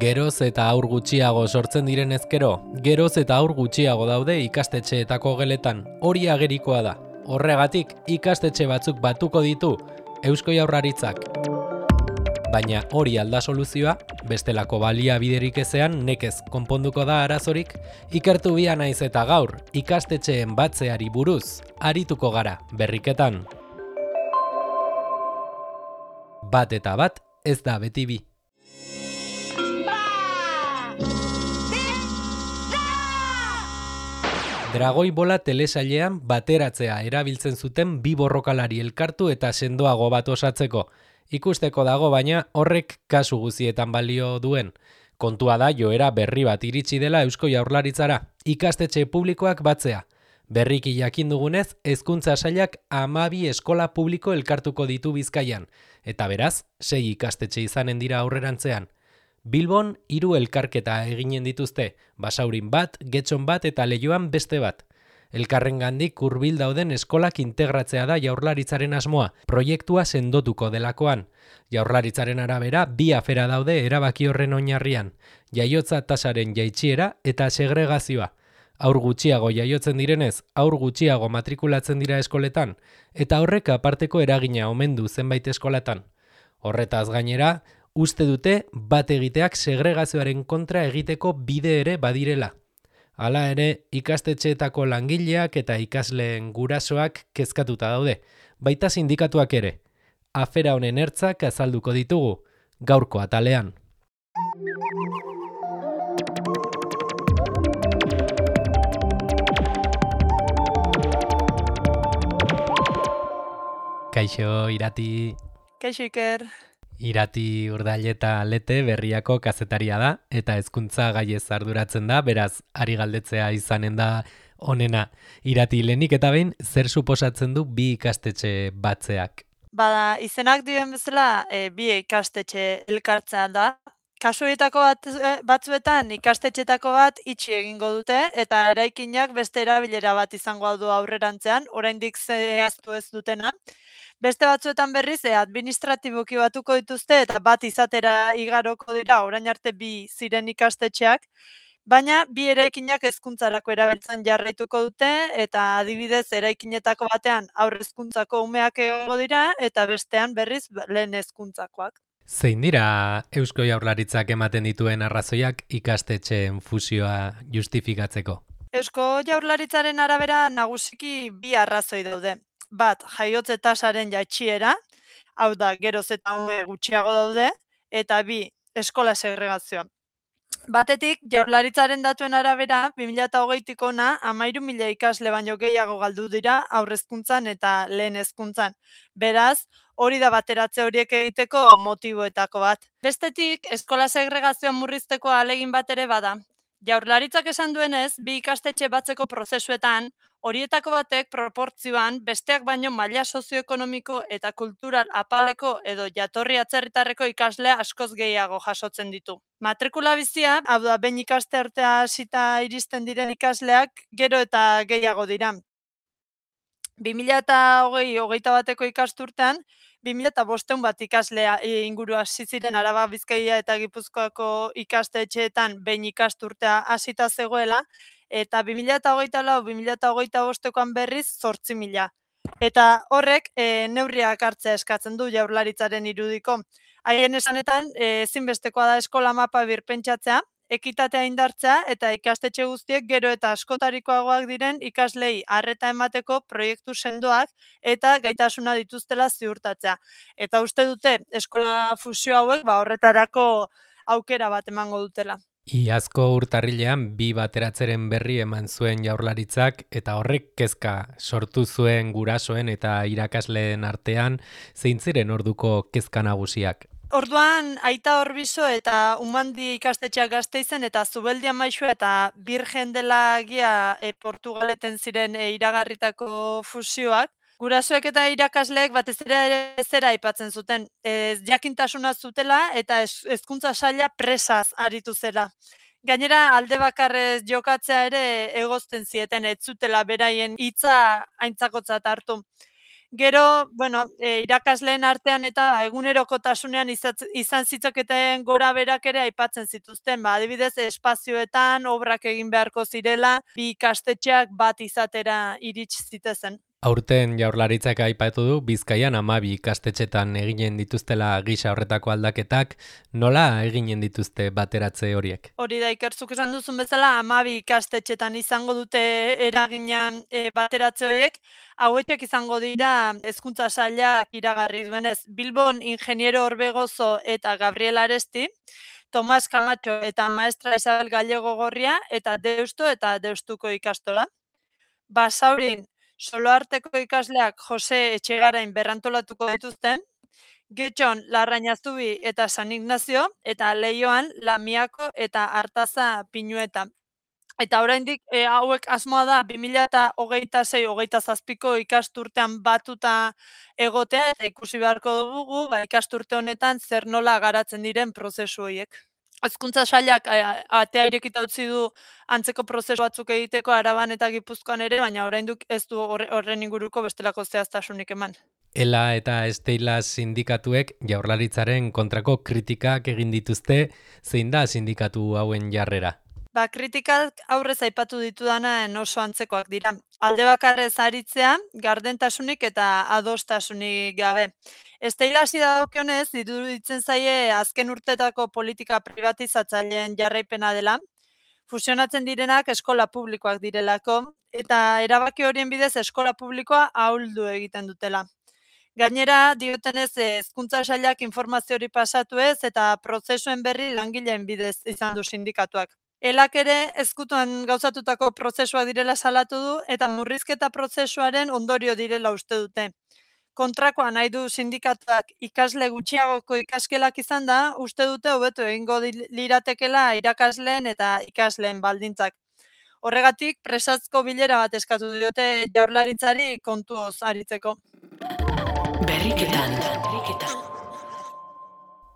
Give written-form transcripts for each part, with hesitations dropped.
Geroz eta haur gutxiago sortzen diren ezkero, geroz eta haur gutxiago daude ikastetxeetako geletan, hori agerikoa da. Horregatik, ikastetxe batzuk batuko ditu Eusko Jaurlaritzak. Baina hori alda soluzioa, bestelako baliabiderik ezean nekez konponduko da arazorik, ikertu bia naiz eta gaur, ikastetxeen batzeari buruz, arituko gara berriketan. Bat eta bat, ez da beti bi. Dragoi bola telesailean bateratzea erabiltzen zuten bi borrokalari elkartu eta sendoago bat osatzeko. Ikusteko dago baina horrek kasu guzietan balio duen. Kontua da joera berri bat iritsi dela Eusko Jaurlaritzara, ikastetxe publikoak batzea. Berriki jakin dugunez, hezkuntza sailak 12 eskola publiko elkartuko ditu Bizkaian, eta beraz, 6 ikastetxe izanen dira aurrerantzean. Bilbon 3 elkarketa eginen dituzte, Basaurin bat, Getxon bat eta Leioan beste bat. Elkarrengandik hurbil dauden eskolak integratzea da Jaurlaritzaren asmoa, proiektua sendotuko delakoan. Jaurlaritzaren arabera, 2 afera daude erabaki horren oinarrian, jaiotza tasaren jaitsiera eta segregazioa. Haur gutxiago jaiotzen direnez, haur gutxiago matrikulatzen dira eskoletan, eta horrek aparteko eragina omen du zenbait eskolatan. Horretaz gainera, uste dute bat egiteak segregazioaren kontra egiteko bide ere badirela. Hala ere, ikastetxeetako langileak eta ikasleen gurasoak kezkatuta daude, baita sindikatuak ere. Afera honen ertzak azalduko ditugu, gaurko atalean. Kaixo, Irati. Kaixo, Iker. Irati Urdaileta Lete Berriako kazetaria da eta hezkuntza gaiez arduratzen da, beraz ari galdetzea izanen da onena. Irati, lehenik eta behin zer suposatzen du bi ikastetxe batzeak? Bada, izenak dioen bezala, bi ikastetxe elkartzea da. Kasu horietako batzuetan ikastetxetako bat itxi egingo dute eta eraikinak beste erabilera bat izango du aurrerantzean, oraindik zehaztu ez dutena. Beste batzuetan berriz administratiboki batuko dituzte eta bat izatera igaroko dira orain arte bi ziren ikastetxeak, baina bi eraikinak hezkuntzarako erabiltzen jarraituko dute eta adibidez eraikinetako batean haur hezkuntzako umeak egongo dira eta bestean berriz lehen hezkuntzakoak. Zein dira Eusko Jaurlaritzak ematen dituen arrazoiak ikastetxeen fusioa justifikatzeko? Eusko Jaurlaritzaren arabera nagusiki bi arrazoi daude. Bat, jaiotze tasaren jaitsiera, hau da, geroz eta ume gutxiago daude, eta bi, eskola segregazioa. Batetik, Jaurlaritzaren datuen arabera, 2020tik hona 13.000 ikasle baino gehiago galdu dira aurrezkuntzan eta lehen hezkuntzan. Beraz, hori da bateratze horiek egiteko motiboetako bat. Bestetik, eskola segregazioa murrizteko ahalegin bat ere bada. Jaurlaritzak esan duenez, bi ikastetxe batzeko prozesuetan, horietako batek proportzioan besteak baino maila sozioekonomiko eta kultural apaleko edo jatorri atzerritarreko ikasle askoz gehiago jasotzen ditu. Matrikula bizia, hau da, behin ikasturtea hasita iristen diren ikasleak gero eta gehiago dira. 2020-hogeita bateko ikasturtean, 2.500 bat ikaslea inguru hasi ziren Araba, Bizkaia eta Gipuzkoako ikastetxeetan behin ikasturtea hasita zegoela, eta 2024-2025koan berriz 8.000. Eta horrek neurriak hartzea eskatzen du Jaurlaritzaren irudiko. Haien esanetan, ezinbestekoa da eskola mapa birpentsatzea, ekitatea indartzea eta ikastetxe guztiek gero eta askotarikoagoak diren ikaslei arreta emateko proiektu sendoak eta gaitasuna dituztela ziurtatzea. Eta uste dute eskola fusio hauek horretarako aukera bat emango dutela. Iazko urtarrilean bi bateratzeren berri eman zuen Jaurlaritzak eta horrek kezka sortu zuen gurasoen eta irakasleen artean, zein ziren orduko kezka nagusiak? Orduan, Aita Orbizo eta Umandi ikastetxeak Gasteizen eta Zubeldia Maixua eta Birgen dela Gia Portugaleten ziren iragarritako fusioak. Gurasoek eta irakasleek batez ere zera aipatzen zuten, jakintasuna zutela eta hezkuntza saila presaz aritu zela. Gainera, alde bakarrez jokatzea ere egozten zieten ez zutela beraien hitza aintzakotzat hartu. Gero, bueno, irakasleen artean eta egunerokotasunean izan zitzaketen gora berak ere aipatzen zituzten. Adibidez, espazioetan obrak egin beharko zirela, bi ikastetxeak bat izatera iritsi zitezen. Aurten Jaurlaritzak aipatu du Bizkaian 12 ikastetxetan eginen dituztela gisa horretako aldaketak, nola eginen dituzte bateratze horiek? Hori da, Ikertzuk esan duzun bezala, 12 ikastetxetan izango dute eraginan bateratze horiek, hauetek izango dira hezkuntza sailak iragarri duenez. Bilbon Ingeniero Orbegozo eta Gabriel Aresti, Tomas Camacho eta Maestra Isabel Gallego Gorria, eta Deusto eta Deustuko ikastola. Basaurin, Soloarteko ikasleak Jose Etxegarain berrantolatuko dituzten, Getxon, Larrañazubi eta San Ignazio, eta Leioan, Lamiako eta Artaza Pinueta. Eta oraindik hauek asmoa da 2026-27ko ikasturtean batuta egotea, eta ikusi beharko dugu ikasturte honetan zer nola garatzen diren prozesu horiek. Hezkuntza sailak atea irekita utzi du antzeko prozesu batzuk egiteko Araban eta Gipuzkoan ere, baina oraindik ez du horren inguruko bestelako zehaztasunik eman. Ela eta Steilas sindikatuek Jaurlaritzaren kontrako kritikak egin dituzte, zein da sindikatu hauen jarrera? Kritikak aurrez aipatu ditudana oso antzekoak dira. Alde bakarrez aritzea, gardentasunik eta adostasunik gabe. Steilasi dagokionez, iruditzen zaie azken urtetako politika privatizatzaileen jarraipena dela, fusionatzen direnak eskola publikoak direlako, eta erabaki horien bidez eskola publikoa ahuldu egiten dutela. Gainera, diotenez, hezkuntza sailak informazio hori pasatu ez, eta prozesuen berri langileen bidez izan du sindikatuak. Elak ere ezkutuan gauzatutako prozesua direla salatu du eta murrizketa prozesuaren ondorio direla uste dute. Kontrakoa nahi du sindikatuak ikasle gutxiagoko ikaskelak izan da, uste dute hobeto egingo liratekela irakasleen eta ikasleen baldintzak. Horregatik, presazko bilera bat eskatu diote Jaurlaritzari kontuoz aritzeko. Berriketan.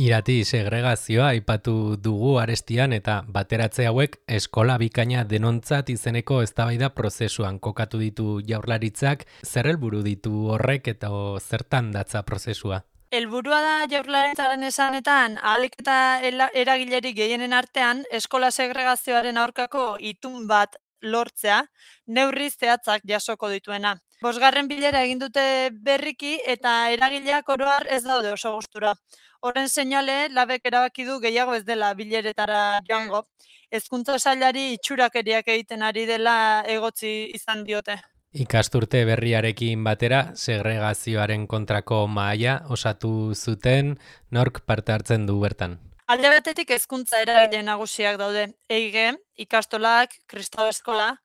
Irati segregazioa aipatu dugu Arestian eta bateratze hauek eskola bikaina denontzat izeneko eztabaida prozesuan kokatu ditu Jaurlaritzak, zer helburu ditu horrek eta zertan datza prozesua? Helburua da Jaurlaritzaren esanetan, ahalik eta eragilerik gehienen artean eskola segregazioaren aurkako itun bat lortzea, neurri zehatzak jasoko dituena. 5. bilera egin dute berriki eta eragileak oro har ez daude oso gustura. Horren seinale, labek erabaki du gehiago ez dela bileretara joango. Hezkuntza sailari itxurakeriak egiten ari dela egotzi izan diote. Ikasturte berriarekin batera, segregazioaren kontrako mahaia osatu zuten, nork parte hartzen du bertan? Alde batetik hezkuntza eragile nagusiak daude. EIG, ikastolak, Kristau Eskola,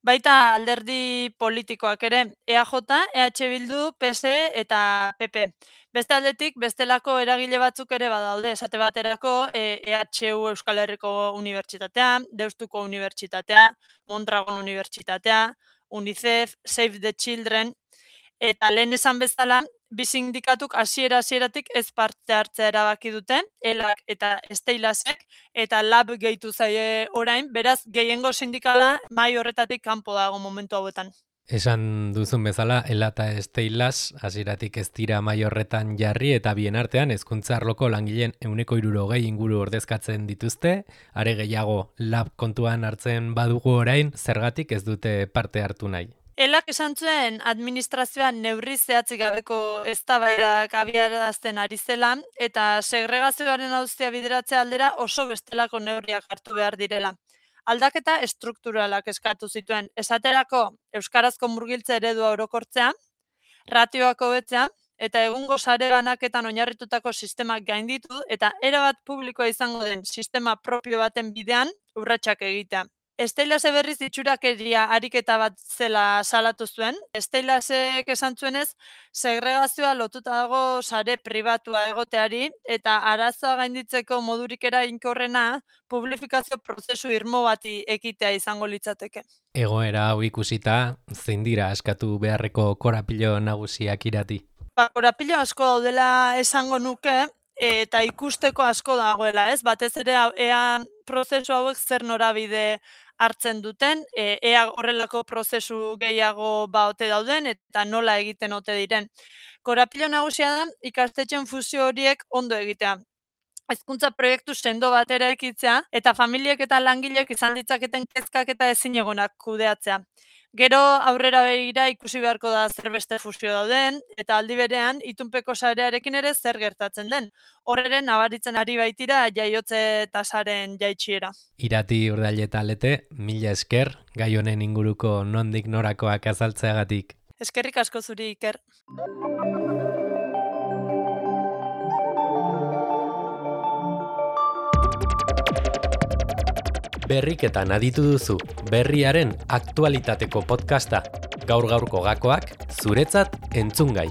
baita alderdi politikoak ere, EAJ, EH Bildu, PSE eta PP. Beste aldetik, bestelako eragile batzuk ere badaude, esate baterako EHU Euskal Herriko Unibertsitatea, Deustuko Unibertsitatea, Mondragon Unibertsitatea, UNICEF, Save the Children, eta lehen esan bezala, bi sindikatuk hasieratik ez parte hartzea erabaki dute, Elak eta Steilasek, eta lab gehitu zaie orain, beraz gehiengo sindikala mahai horretatik kanpo dago momentu hauetan. Esan duzun bezala, Ela eta Steilas hasieratik ez dira mahai horretan jarri eta bien artean hezkuntza arloko langileen 160 inguru ordezkatzen dituzte, are gehiago lab kontuan hartzen badugu orain, zergatik ez dute parte hartu nahi. Elak esan zuen administrazioan neurri zehatzik gabeko eztabaidak abiarazten ari zela eta segregazioaren auzia bideratzea aldera oso bestelako neurriak hartu behar direla. Aldaketa estrukturalak eskatu zituen, esaterako euskarazko murgiltze eredua orokortzea, ratioak hobetzea eta egungo sare banaketan oinarritutako sistemak gainditu eta erabat publikoa izango den sistema propio baten bidean urratsak egitea. Steilase berriz itxurakeria ariketa bat zela salatu zuen. Steilasek esan zuenez, segregazioa lotuta dago sare pribatua egoteari eta arazoa gainditzeko modurik eraginkorrena publifikazio prozesu irmo bati ekitea izango litzateke. Egoera hau ikusita, zein dira askatu beharreko korapilo nagusiak Irati? Korapilo asko daudela esango nuke, eta ikusteko asko dagoela, ez? Batez ere ea prozesu hauek zer norabide hartzen duten, ea horrelako prozesu gehiago ote dauden eta nola egiten ote diren. Korapilo nagusia da ikastetxen fusio horiek ondo egitea. Hezkuntza proiektu sendo bat eraikitzea eta familiek eta langileek izan ditzaketen kezkak eta ezinegonak kudeatzea. Gero aurrera begira ikusi beharko da zer beste fusio dauden eta aldi berean itunpeko sarearekin ere zer gertatzen den. Horreren nabaritzen ari baitira jaiotze tasaren jaitsiera. Irati Urdaileta Lete, mila esker gai honen inguruko nondik norakoak azaltzeagatik. Eskerrik asko zuri, Iker. Berriketan aditu duzu berriaren aktualitateko podcasta. Gaur-gaurko gakoak zuretzat entzungai.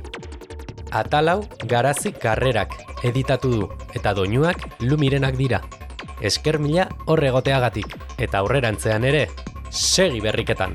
Atalau Garazi Karrerak editatu du eta doinuak Lumirenak dira. Esker mila hor egoteagatik eta aurrerantzean ere segi berriketan.